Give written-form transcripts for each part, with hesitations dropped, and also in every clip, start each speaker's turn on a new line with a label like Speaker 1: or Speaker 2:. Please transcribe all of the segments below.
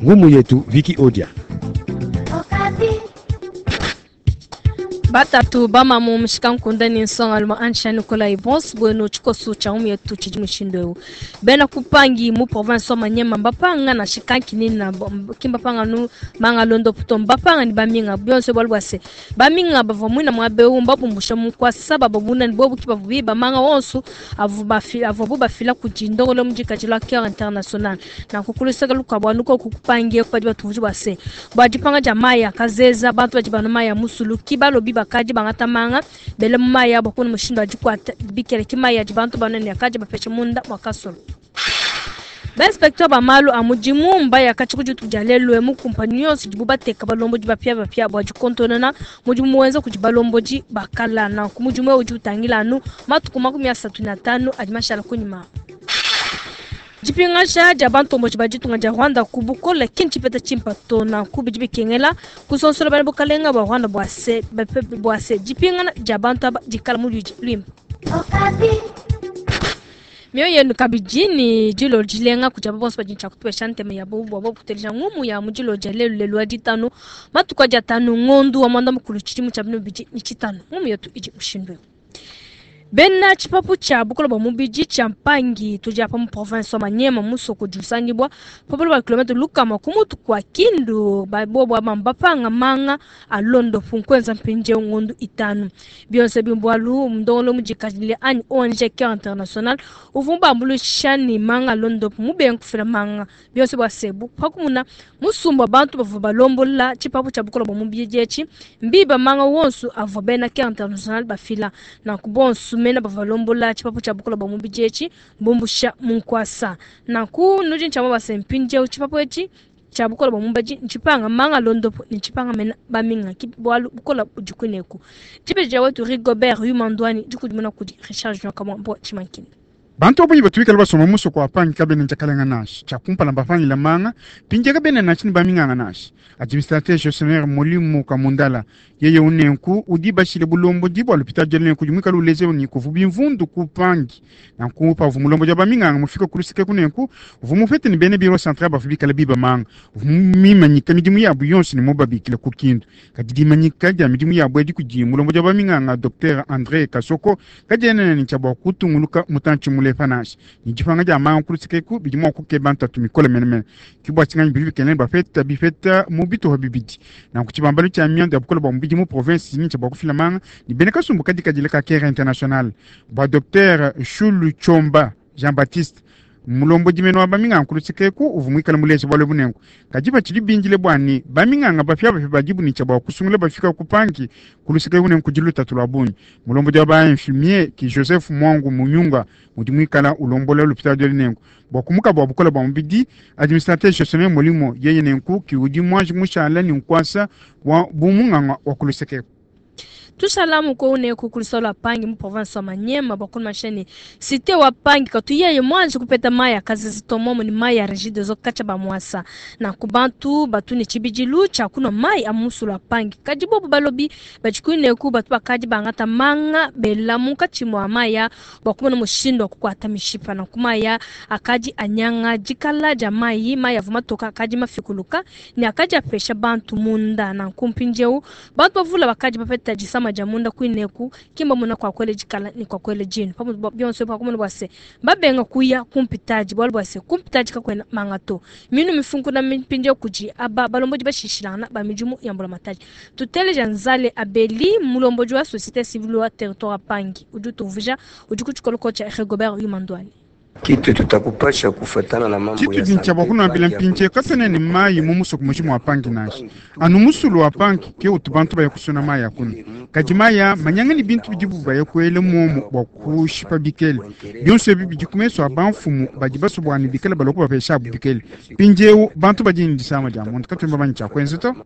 Speaker 1: Ngumu yetu Viki Odia.
Speaker 2: Batatu bamamu mushikankunde ne nsongalume Ansha Nikolai bonso buenu tshikoso tshia ngumu yetu tshidi mushindu eu. Bena kupangi mu province wa Manyema mbapanga na shikanki nina kimbapanga nu manga londo puto mbapanga ni baminga bionso bwalu bwase baminga bavua mwina mwabeu mbabumbusha mukwasa bababuna ni bobu kibavu biba manga wonso avu bafi avu bafila kujindongolo mujikajila Cœur International na kukulusaka lukabwa nuko kukupangie kupadi batuvuji bwase bwadipanga ja maya kazeza bantu badi banu maya musulu kibalobi bakaji bangata manga bele maya bakuna mushindo ajikwata bikele kimaya bantu banene akaji bapesha munda mwakasolo. Bainspecteur ba malu a mudimu mbaya kati kuditu dia lelu emu kumpani yonso dibu bateka balombodi bapia bapia bua dikontonona mudimu wenza kudi balombodi bakala nanku mudimu eu udi utangila anu matuku 35 adi mashala kunyima. Dipingaja dia bantomboji ba ditunga dia Rwanda ku bukole ki ntshipeta tshimpa to nanku bidi bikengela kusonsola bana bukalenga bua Rwanda bua se bua se dipingana dia bantu aba dikala mu luidi luimpe. Mioyo yenu kabidi ni dilo dilenga kudi aba bonso badi ntshia kutupesha ntema ya bobu bua kuteleja ngumu ya mu dilo dia lelu lelu wa ditanu matuku adi atanu ngondu wa mwanda mukulu tshidimu tshia binu bidi ni tshitanu ngumu yetu idi mushindu eu. Bena tshipapu tshia bukole bua mubidi tshia mpangi tudi apa mu province wa Manyema musoko udi usangibua pabulu ba kilomètre lukama ku mutu kua Kindu babobo aba mbapanga manga a londopu nkuenza mpindieu ngondu itanu bionso bimbualu mndongolo mudikadile anyi ONG Care International uvua mubambuluisha ni manga londopu mubenga kufila manga bionso bua sebu pakumuna musumba bantu bavua balombola tshipapu tshia bukole bua mubidi etshi mbiba manga wonso avua bena Care International bafila nanku bonso mena bavalombola tshipapu tshia bukole bua mubidi etshi mbumbusha munkwasa nanku nudi ntshia mabasa mpindieu tshipapu etshi tshia bukole bua mubidi ntshipanga manga londopo ne ntshipanga mena baminga ki bualu bukole budi kuneku tshibeja wetu Rigobert Yumandwani dikudimuna kudi Richard Junior Kamwambo Tshimankini.
Speaker 3: Bantu abonyi batuikala basoma musoko wa pangi kabene ntshakalenga nashi tshiakumpala mbapangila manga pindia kabene nashi ni baminganga nashi administrateur gestionnaire Molimo Kamundala yeye unenku udi bashile bulombo dibwa lupita jelenku jumika luleze ni kuvubi mvundu kupangi na nkupa vumulombo ja baminganga mufika kulusike kunenku vumufete ni bene biro central bafubikala biba manga vumimanyika midimu yabu yonse ni mobabikila kukindu kadidimanyika dia midimu yabu edi kudi mulombo ja baminganga Dr André Kasoko kajenene ni chabwa kutunguluka mutanchi mule panashi ni jipanga ja manga kulusike ku bidimu kukeba ntatu mikole menemene kibwa tsinganyi bibi kenene bafeta bifeta mu bituha bibidi na kuchibambalo cha miando ya bukola bwa mubidi mu province ni chabwa kufila manga ni bene kasumbu kadikadile ka Care International bwa Dr Shulu Chomba Jean Baptiste mulombo jimeno wa baminganga kulusikeku uvumwikala mulezi bwale bunengo kajiba chili binjile bwani baminganga bafya bafya bajibu ni chabwa kusungula bafika kupangi kulusikeku nengo kujiluta tulwa bunyi mulombo jwa ba infirmier ki Joseph Mwangu Munyunga mudimwikala ulombola lupita jwa nengo bwa kumuka bwa bukola bwa mubidi administrateur gestionnaire molimo yeye nenku ki udi mwanji mushala ni nkwasa wa bumunganga wa kulusikeku.
Speaker 2: Tusalamu ko une kukulisolo pangi mu province wa Manyema bakulu masheni cité wa pangi katuye mwanji kupeta maya kazi zitomomo ni maya rigide zo kacha ba mwasa na kubantu batuni chibijilu cha kuno mai amusula pangi kajibobo balobi bachikune ku batu bakaji bangata manga bela muka chimwa maya bakuma mushindo kukwata mishipa na kumaya akaji anyanga jikala ja mai maya vumatoka akaji mafikuluka ni akaji apesha bantu munda na kumpinjeu bantu bavula bakaji bapeta jisama jamunda kwineku kimba muna kwa kwele jikala ni kwa kwele jinu pamu bionso pa kumuna bwase babenga kuya kumpitaji bwalo bwase kumpitaji kakwena mangato minu mifunku na mipinje kuji aba balomboji bashishilana ba mijumu yambula mataji tuteleja nzale abeli mulomboji wa société civile wa territoire pangi uju tuvuja uju kuchikolo cha Rigobert Yumandwani.
Speaker 4: Kitu tutakupasha kufatana na mambo
Speaker 3: Kitu dincha bakuna bila mpinche katene ni mayi mu musoko mujimu wa pangi nashi anu musulu wa pangi ke utubantu baya kusuna mayi akuna kadi maya manyanga ni bintu bidibu baya kuele momo bwa kushipa bikele bionso ebi bidi kumeso abanfumu badi basobwani bikele baloko bapesha abu bikele pinjeu bantu badi ni disama dia muntu katumba banyi cha kwenza to.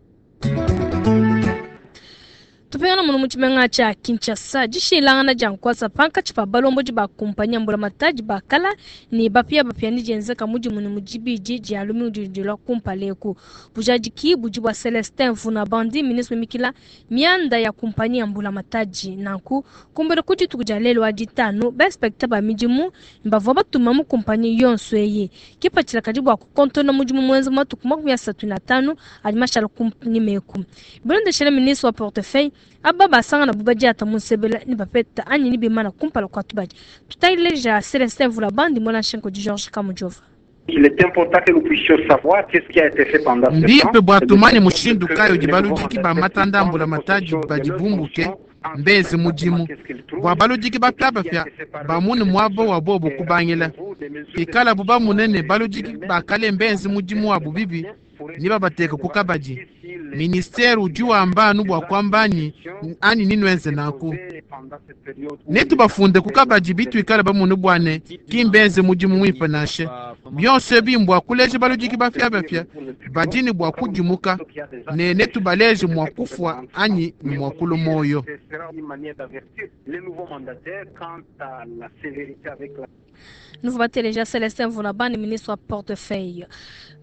Speaker 2: Tupingana muno mu tshimenga tshia Kinshasa, dishilangana dia nkuasa pankatshi pa balombodi ba kumpanyi ya mbulamatadi ba kala ne bapiabapia ne dienzeka mudimu ne mu dibidi dia lumingu didi dilua kumpala eku. Bujadiki budi bua Celestin Vunabandi, ministre mimikila mianda ya kumpanyi ya mbulamatadi. Nanku kumbela ku dituku dia lelu wa ditanu, ba inspecteur ba midimu bavua batuma mu kumpanyi yonso eyi. Kipatshila kadi bua kukontona mudimu muenza matuku 35 adi mashala kunyima eku. Bilondeshile ministre wa portefeuille, aba basangana bu badiata mu nsebela ne bapeta anyi ne bimana kumpala kua tubadi. Tutaleja Celestin Vulabandi mwela nshenko di Georges Kamujova.
Speaker 1: Il est important que nous puissions savoir qu'est-ce qui a été fait pendant ce temps.
Speaker 5: Mbimpe bua tumanye mushindu kayi udi baludiki ba matanda a mbulamatadi badi bumbuke mbenze mudimu bua baludiki bapiabapia bamune muaba wa bobu kubangila. Pikalabu bamune ne baludiki ba kale mbenze mudimu wabu bibi ne babateka ku kabadi. Ministere udi wamba anu bua kuamba anyi anyi ninwenze nanku. Netubafunde ku kabadi bituikala bamune bua ne ki mbenze mudimu muimpe nansha. Bionso ebi mbua kuleja baludiki bapiabapia badi ne bua kudimuka ne netubaleje mua kufua anyi ne mua kulua moyo.
Speaker 2: Nous bateleja Celestin Vunabandi, ministre wa portefeuille.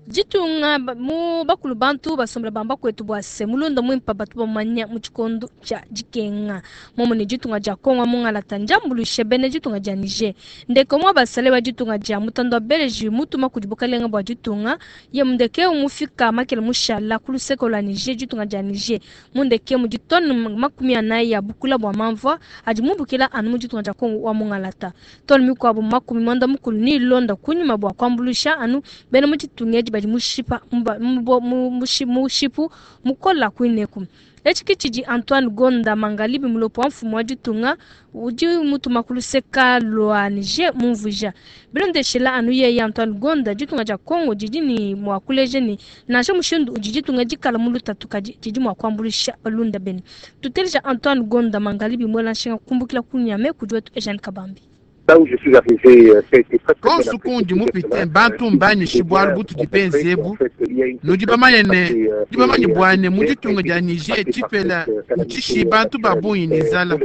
Speaker 2: Ditunga mu bakulu bantu basombela bamba kwetu bua se mulunda mwimpa batu bamanya mu tshikondo tshia dikenga. Momo ne ditunga dia Kongo mungalata njambulushe bene ditunga dia Niger. Ndeko mwa basale ba ditunga dia mutando wa Belgique mutuma kudi bukalenga bua ditunga ye mundeke umufika makele mushala ku luseko lwa Niger ditunga dia Niger. Mundeke mu ditone 40 ya bukula bua mamvua adi mubukila anu mu ditunga dia Kongo wa mungalata. Tone mikuabu 90 ni londa kunyuma bua kuambulusha anu bene mu ditunga edi badi mushipa mushipu mukola kuineku. Etshi tshidi Antoine Gonda Mangalibi mulopo wa mfumu wa ditunga udi mutuma ku luseka lwa Niger mumvuija. Bilondeshela anu yeye Antoine Gonda ditunga dia Congo didi ni mua kuleja ni nansha mushindu udi ditunga dikala mu lutatu kadi didi mua kuambulisha balunda bene. Tuteleja Antoine Gonda Mangalibi mwela nshinga kumbukila kunyame kudi wetu Eugène Kabambi.
Speaker 5: Konsu kundi mupite bantu mbanyishe bwalu butu dipenze ebu nudi bamanye ne nudi bamanye bwane mu ditunga dia Niger tshipela ntshishi bantu ba bungi ne nzala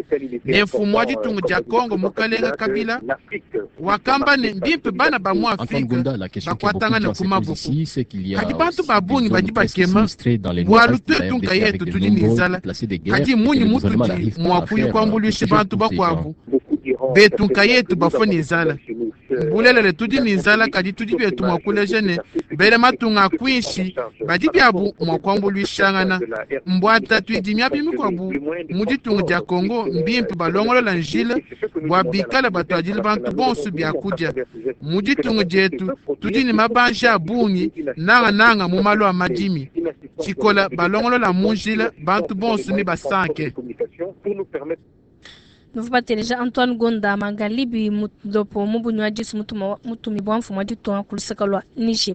Speaker 5: ne mfumu wa ditunga dia Congo mukalenga Kabila wakamba ne mbimpe bana ba mu Afrika bakuatangana ku maboko kadi bantu ba bungi badi bakema bwalu twetu nkayetu tudi ne nzala kadi munyi mutudi mua kuya kuambuluisha bantu bakuabu betu nkayetu bafo ne nzala mbulelele tudi ne nzala kadi tudi betu mua kuleja ne bele matunga akwinshi badi biabu mua kuambuluishangana mbwata tuidimia bimikuabu mu ditunga dia Congo mbimpe balongolola njila bua bikala batuadile bantu bonso biakudia mu ditunga dietu tudi ne mabanja a bungi nangananga mu malu a madimi tshikola balongolola mu njila bantu bonso ne basanke.
Speaker 2: Nuvateleja Antoine Gonda Mangalibi mulopo mubunywa disu mutumi bwa mfumu wa ditunga ku luseka lwa Niger.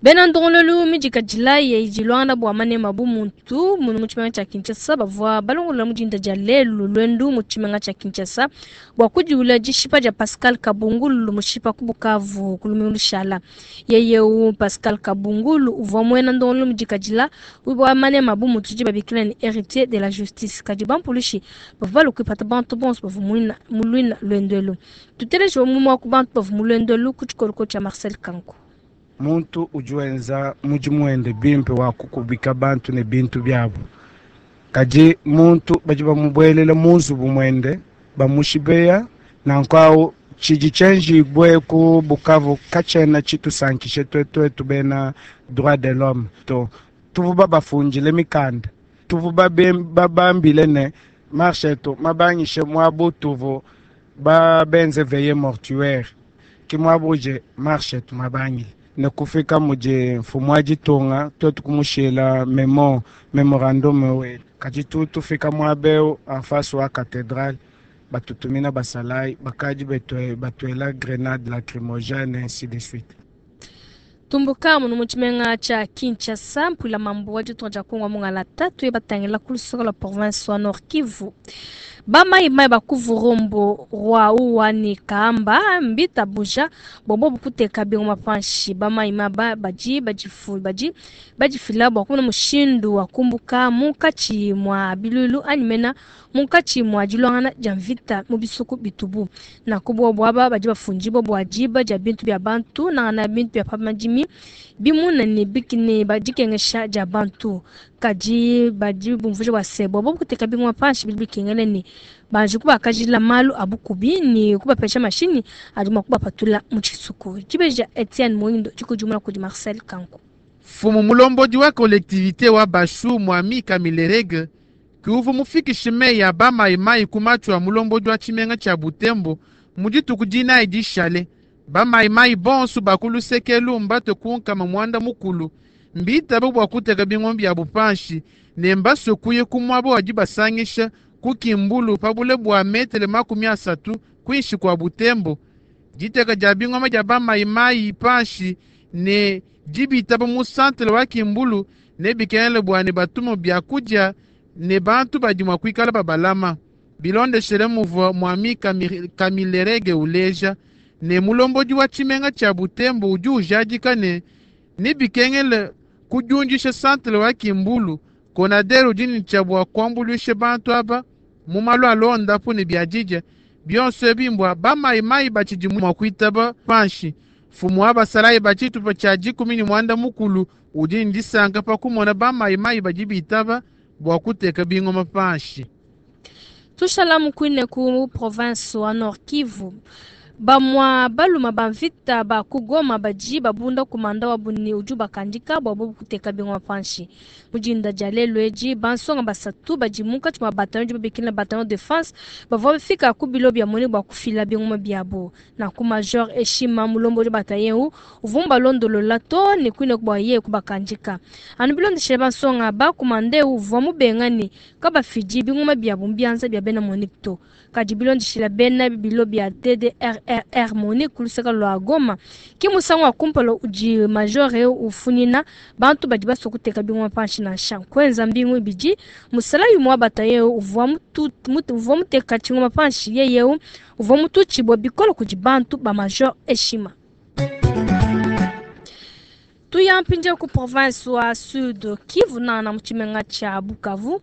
Speaker 2: Bena ndongololu midika dilaye idilwana bua manema bu muntu munu mu tshimenga tshia Kinshasa bavua balongolola mu dinda dia lelu lwendu mu tshimenga tshia Kinshasa bua kudiula dishipa dia Pascal Kabungulu mushipa ku Bukavu ku lumingu lushala. Yeyeu Pascal Kabungulu uvua muena ndongololu midika dila bua manema bu muntu di babikila ne héritier de la justice kadi bampulushi bavua balukuipata bantu bonso bavua mu luina lwendelu. Tuteleje mu mwa ku bantu bavua mu lwendelu ku tshikoloko tshia Marcel Kanku.
Speaker 6: Muntu udi wenza mudimu wende bimpe wa kukubika bantu ne bintu byabo kadi muntu badi bamubwelela mu nzubu mwende bamushibeya nanku tshidi tshienjibue ku Bukavu katshiena tshitusankishe twetu bena droit de l'homme to tuvu babafundile mikanda tuvu babambile ne marche to mabangishe mwabu tuvu babenze veille mortuaire ki mwabuje marche tu mabangile ne kufika muje mfumu wa ditunga twetu kumushila memo memorandum wetu kadi tufika mwabeu en face wa cathédrale batutumina basalai bakadi batwela grenade lacrymogène ainsi de suite.
Speaker 2: Tumbuka muno mu tshimenga tshia Kinshasa, mpuila mambu wa ditunga dia Kongo wa mungalata tuye batangila ku luseke lua province wa Nord Kivu. Bamayimayi ba ku Vurumbu rwa Uwa ne Kaamba mbitabuja bua bobu kuteka bingoma panshi. Bamayimayi aba badi badi badifila bua kumona mushindu wa kumbuka munkatshi mua biluilu anyi mena munkatshi mua diluangana dia mvita mu bisuku bitubu. Nanku bobu aba badi bafundibua bua diba dia bintu bia bantu, nangana bintu bia pa madimi, bimuna ne ne dikengesha dia bantu. Kadi badi bumvuija bua se, bua bobu kuteka bingoma panshi bidi bikengela ne banji kubakajila malu a bukubi ne kubapesha mashinyi adi mua kubapatula mu tshisuku. Dibeji dia Etienne Muindo dikudimuna kudi Marcel Kanku.
Speaker 5: Mfumu mulombodi wa collectivite wa Bashu Mwami Kamilerege ke uvua mufikishe meyi a ba mayimayi ku matshi a mulombodi wa tshimenga tshia Butembo mu dituku dinayi dishale. Ba mayimayi bonso ba ku luseke elu mbatue ku nkama muanda mukulu, mbitabe bua kuteka bingoma biabu panshi ne mbasue kuya ku muaba wa dibasangisha ku Kimbulu pa bule bua metele 30 kuinshi kua Butembo. Diteka dia bingoma dia ba mayimayi panshi ne dibitaba mu santere wa Kimbulu nebikengele bua ne batume biakudia ne bantu badi mua kuikala babalama. Bilondeshele muvua Mwami Kamilerege uleja ne mulombodi wa tshimenga tshia Butembo udi ujadika ne nebikengele kudiundisha santere wa Kimbulu. Konader udi ne tshia bua kuambuluisha bantu aba mu malu a londapu ne biadidia bionso ebi mbua bamayimayi batshidi mua kuitaba panshi. Mfumu wa basalayi ba tshitupa tshia 19 udi ne disanka pa kumona bamayimayi badi bitaba bua kuteka bingoma panshi.
Speaker 2: Tushala mukwine ku province wa Nord Kivu. Bamua baluma ba mvita ba ku Goma badi babunda kumanda wabu ne udi ubakandika bua bobu kuteka bingoma panshi. Mu dinda dia lelu edi, bansonga basatu badi munkatshi mua bataillon udi babikila bataillon de défense bavua bafika ku bilo bia mone bua kufila bingoma biabu. Nanku Major Eshima mulombodi wa bataillon eu uvua mubalondolola too ne kuine bua yeye kubakandika. Anu bilondeshile bansonga ba kumanda eu uvua mubenga ne kabafidi bingoma biabu mu bianza bia bena Monique to. Kadi bilondeshile bena bilo bia DDRRR Monique ku luseke lua Goma, ke musangu wa kumpala udi major eu ufunyina bantu badi basue kuteka bingoma panshi nansha. Kuenza mbingu ibidi, musalayi umue wa bataillon eu uvua muteka tshingoma panshi, yeye eu uvua mututshibue bikole kudi bantu ba major Eshima. Tuya mpindieu ku province wa Sud Kivu nana mu tshimenga tshia Bukavu.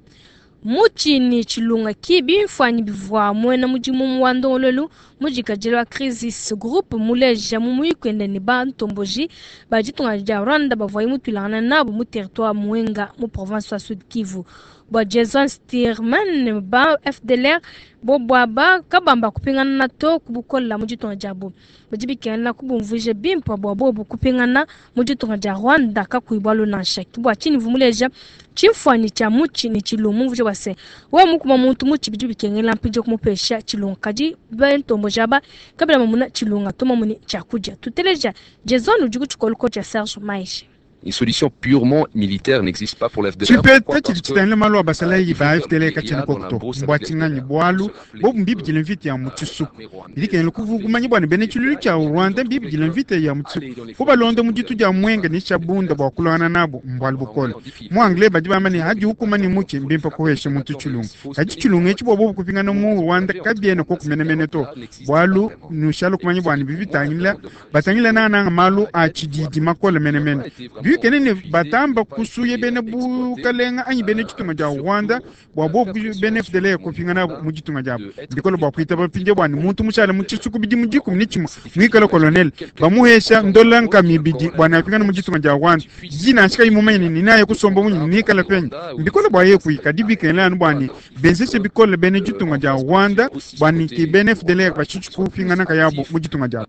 Speaker 2: Mutshi ne tshilunga ki bimfuanyi bivua muena mudimu wa ndongoluelu mudikadile wa Crisis Group muleja mu muyuki wende ne bantomboji ba ditunga dia Rwanda bavuaye mutuilangana nabu mu territoire Mwenga mu province wa Sud Kivu. Bua Jason Steerman ba FDLR bobu aba kabamba kupingana to ku bukola mu ditunga diabu. Badi bikengela kubumvuija bimpe bua bobu kupingana mu ditunga dia Rwanda kakuyi bualu nansha. Ke bua tshinyi vumuleja tshimfuanyi tshia mutshi ne tshilungu mumvuije bua se wewe mukuma muntu mutshi bidi bikengela mpindieu kumupesha tshilungu, kadi bantomboji aba kabena bamona tshilunga to mamone tshiakudia. Tuteleja Jason udi ku tshikoloko tshia Serge Maeshe.
Speaker 7: Une solution purement militaire n'existe pas pour l'FDLR.
Speaker 3: Tshipeta tshidi tshitangila malu a basalayi ba FDLR katshiena koku to. Mbua tshinganyi bualu bobu mbibidile mvita ya mu tshisuku. Bidi kengela kuvukumanya bua ne bena tshiluilu tshia Rwanda mbibidile mvita ya mu tshisuku. Kubalonda mu ditu dia Mwenga ne Shabunda bua kuluangana nabu mbualu bukole. Mu anglais badi bamba ne hadi hukuma ne mutshi mbimpe kuhesha muntu tshilungu. Kadi tshilungu etshi bua bobu kupingana mu Rwanda kabiena koku menemene to. Bualu nushala kumanya bua ne bibitangila batangila nangananga malu a tshididi makole menemene. Bikene ne batamba kusuye bena bukalenga anyi bena ditunga dia Rwanda bua bobu bena FDLR kupingana mu ditunga diabu. Bikole bua kuitaba mpindieu bua ne muntu mushale mu tshisuku bidimu 11 muikale colonel bamuhesha ndola nkama ibidi bua ne apingane mu ditunga dia Rwanda. Dina nansha kayi mumanye ne ninaye kusomba munyi nikala penyi. Mbikole bua yeye kuyi kadi bikengela anu bua ne benzeshe bikole bena ditunga dia Rwanda bua ne ki bena FDLR bashitshi kupingana kayabu mu ditunga diabu.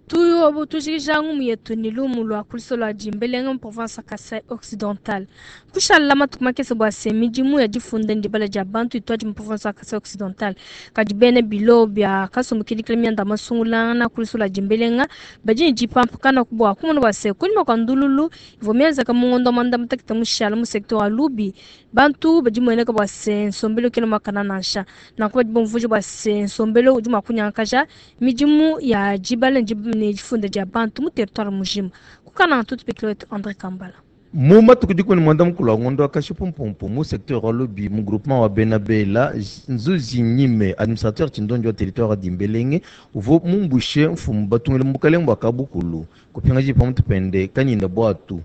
Speaker 2: Tuyobo tujikija ngumu yetu ni lumu lua kuliso lua Dimbelenge mu province ya Kasai Occidental. Kushala matuku makese bua se midimu ya difunda ndibala dia bantu ituadi mu province ya Kasai Occidental. Kadi bena bilo bia kasumbu kidikila mianda masungulangana kuliso lua Dimbelenge badi ne dipampakana bua kumona bua se kunyima kua ndululu ivua mienzeka mu ngondo wa muanda mutekete mushala mu secteur wa Lubi. Bantu badi mueneka bua se nsombelu kena muakana nansha. Nanku badi bumvuija bua se nsombelu udi mua kunyangakaja midimu ya dibala ne difunda dia bantu mu territoire mujima. Ku Kananga tutupikila wetu Andre Kambala.
Speaker 8: Mu matuku 19 a ngondo wa Kashipumpumpu mu secteur wa Lubi mu groupement wa Bena Bela, Nzuzi Nyime, administrateur tshindondi wa territoire wa Dimbelenge, uvua mumbushe mfumu batungile mu bukalenge bua Kabukulu, kupingaji pamutu pende Kanyinda Buatu.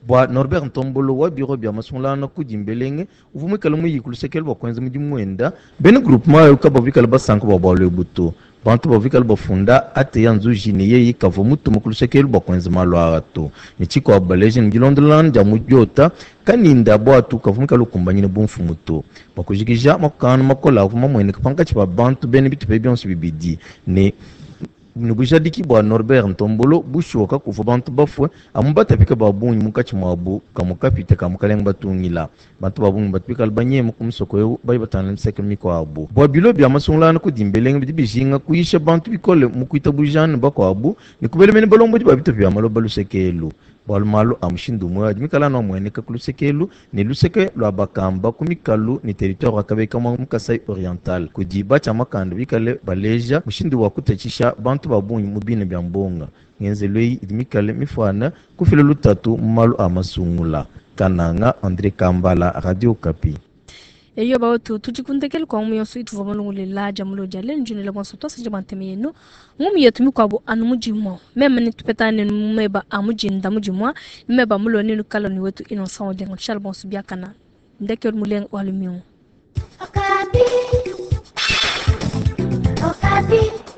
Speaker 8: Bua Norbert Ntombolo wa bureau bia masungulangana ku Dimbelenge, uvua muikale muyi ku luseke bua kuenza mudimu wenda, bena groupement ayo kabavua bikale basanka bua bualu ebu to. Bantu bavua bikale bafunda ate ya Nzuji ne yeye kavua mutuma ku luseke bua kuenza malu aa to. Ne tshikuabu baleja ne dilondolangana dia mu diota Kanyinda Buatu kavua muikale ukumbanyine bumfumu to. Bua kujikija makokangana makole avua mamueneke pankatshi pa bantu bena bitupa bionso bibidi ne ne bujadiki bua Norbert Ntombolo, bushuwa kakuvua bantu bafue, amu batapika ba bungi munkatshi muabu kamue kapita ka mukalenge batungila. Bantu ba bungi batu bikale banyema ku musoko eu bayi batangila miseke mikuabu. Bua bilo bia masungulangana ku Dimbelenge bidi bijinga kuyisha bantu bikole mu kuitabujana ne bakuabu ne kubela mene balombodi ba bitupa bia maloba luseke elu. Bualu malu a mushindu umue adi mikale anu amueneka ku luseke elu ne luseke lua bakamba ku mikalu ne territoire wa Kabeye-Kamwanga mu Kasai Oriental kudi batshia makanda bikale baleja mushindu wa kutatshisha bantu ba bungi mu bina bia mbonga. Ngenzelu eyi idi mikale mifuane kufila lutatu mu malu a masungula. Kananga, Andre Kambala, Radio Okapi.
Speaker 2: Eyo bawetu, tudi ku ndekelu kua ngumu yonso ituvua balongolola dia mulo dia lelu. Ndi nuela bonso tuasakidila bua ntema yenu. Ngumu yetu mikuabu anu mu dimua. Meme netupetangane nenu mu meba a mu dinda mu dimua ne meba a mulo nenukala ne wetu Innocent Olenga. Tushala bonso biakana. Ndekelu mulenga wa lumingu.
Speaker 9: Okapi. Okapi.